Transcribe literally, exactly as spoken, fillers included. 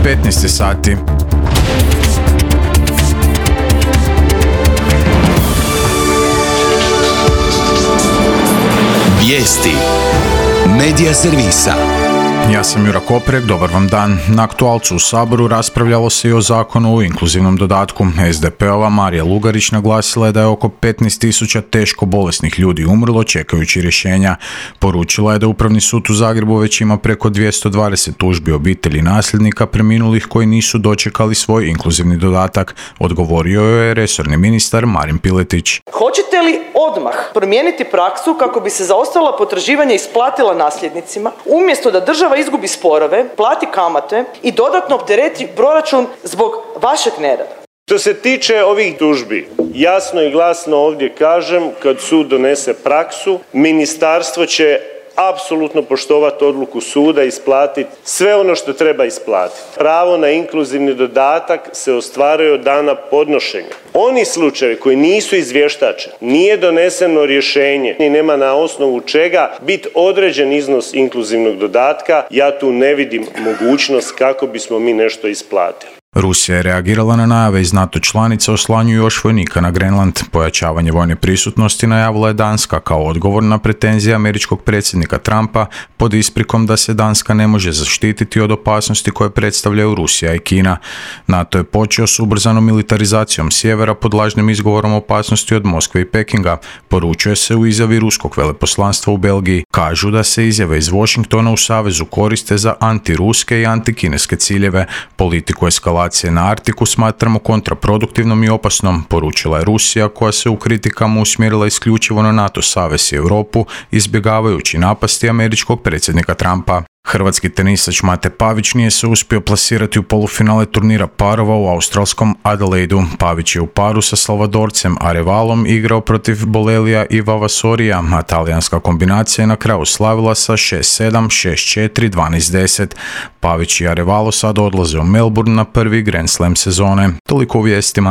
petnaest sati. Vijesti Medija servisa. Ja sam Jura Koprek, dobar vam dan. Na aktualcu u Saboru raspravljalo se i o zakonu o inkluzivnom dodatku. es de pe ova Marija Lugarić naglasila je da je oko petnaest tisuća teško bolesnih ljudi umrlo čekajući rješenja. Poručila je da Upravni sud u Zagrebu već ima preko dvjesto dvadeset tužbi obitelji nasljednika preminulih koji nisu dočekali svoj inkluzivni dodatak. Odgovorio je resorni ministar Marin Piletić. Hoćete li odmah promijeniti praksu kako bi se zaostala potraživanja isplatila nasljednicima, umjesto da država izgubi sporove, plati kamate i dodatno optereti proračun zbog vašeg nerada? Što se tiče ovih tužbi, jasno i glasno ovdje kažem, kad sud donese praksu, ministarstvo će apsolutno poštovati odluku suda i isplatiti sve ono što treba isplatiti. Pravo na inkluzivni dodatak se ostvaruje od dana podnošenja. Oni slučajevi koji nisu izvještačeni, nije doneseno rješenje i nema na osnovu čega biti određen iznos inkluzivnog dodatka, ja tu ne vidim mogućnost kako bismo mi nešto isplatili. Rusija je reagirala na najave iz NATO članica o slanju još vojnika na Grenland. Pojačavanje vojne prisutnosti najavila je Danska kao odgovor na pretenzije američkog predsjednika Trumpa pod isprikom da se Danska ne može zaštititi od opasnosti koje predstavljaju Rusija i Kina. NATO je počeo s ubrzanom militarizacijom sjevera pod lažnim izgovorom opasnosti od Moskve i Pekinga. Poručuje se u izjavi ruskog veleposlanstva u Belgiji. Kažu da se izjave iz Washingtona u savezu koriste za antiruske i antikineske ciljeve. Politiku eskalacije na Arktiku smatramo kontraproduktivnom i opasnom, poručila je Rusija koja se u kritikama usmjerila isključivo na NATO savez i Europu, izbjegavajući napasti američkog predsjednika Trumpa. Hrvatski tenisač Mate Pavić nije se uspio plasirati u polufinale turnira parova u australskom Adelaidu. Pavić je u paru sa Salvadorcem Arevalom igrao protiv Bolelija i Vavasorija, a talijanska kombinacija je na kraju slavila sa šest sedam, šest četiri, dvanaest deset. Pavić i Arevalo sad odlaze u Melbourne na prvi Grand Slam sezone. Toliko u vijestima.